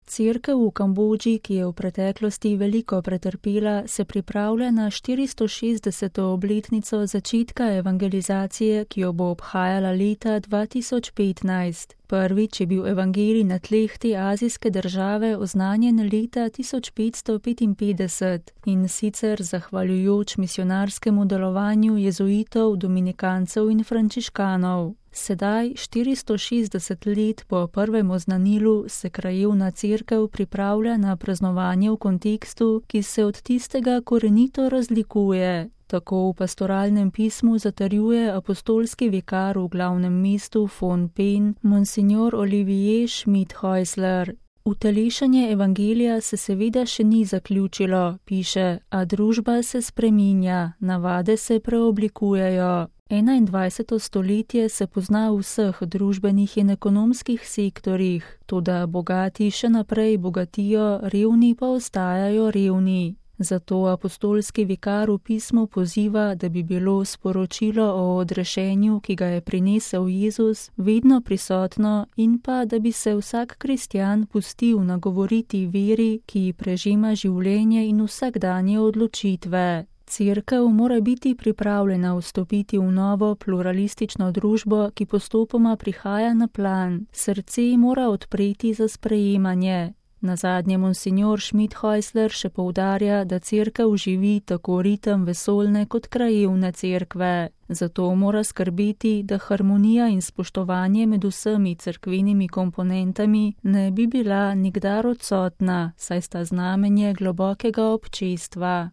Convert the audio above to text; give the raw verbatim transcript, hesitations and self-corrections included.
Cerkev v Kambodži, ki je v preteklosti veliko pretrpela, se pripravlja na štiristošestdeseto obletnico začetka evangelizacije, ki jo bo obhajala leta dva tisoč petnajst. Prvič je bil evangelij na tleh te azijske države oznanjen leta tisoč petsto petinpetdeset in sicer zahvaljujoč misionarskemu delovanju jezuitov, dominikancev in frančiškanov. Sedaj, štiristo šestdeset let po prvem oznanilu, se krajevna cerkev pripravlja na praznovanje v kontekstu, ki se od tistega korenito razlikuje. Tako v pastoralnem pismu zatrjuje apostolski vikar v glavnem mestu Phnom Penh, monsignor Olivier Schmidt-Häusler. Utelešanje evangelija se seveda še ni zaključilo, piše, a družba se spreminja, navade se preoblikujejo. enaindvajseto stoletje se pozna v vseh družbenih in ekonomskih sektorjih, toda bogati še naprej bogatijo, revni pa ostajajo revni. Zato apostolski vikar v pismu poziva, da bi bilo sporočilo o odrešenju, ki ga je prinesel Jezus, vedno prisotno in pa, da bi se vsak kristjan pustil nagovoriti veri, ki prežema življenje in vsakdanje odločitve. Cerkev mora biti pripravljena vstopiti v novo pluralistično družbo, ki postopoma prihaja na plan. Srce mora odpreti za sprejemanje. Nazadnje monsignor Schmidt-Häusler še poudarja, da cerkev živi tako ritem vesoljne kot krajevne cerkve. Zato mora skrbeti, da harmonija in spoštovanje med vsemi cerkvenimi komponentami ne bi bila nikdar odsotna, saj sta znamenje globokega občestva.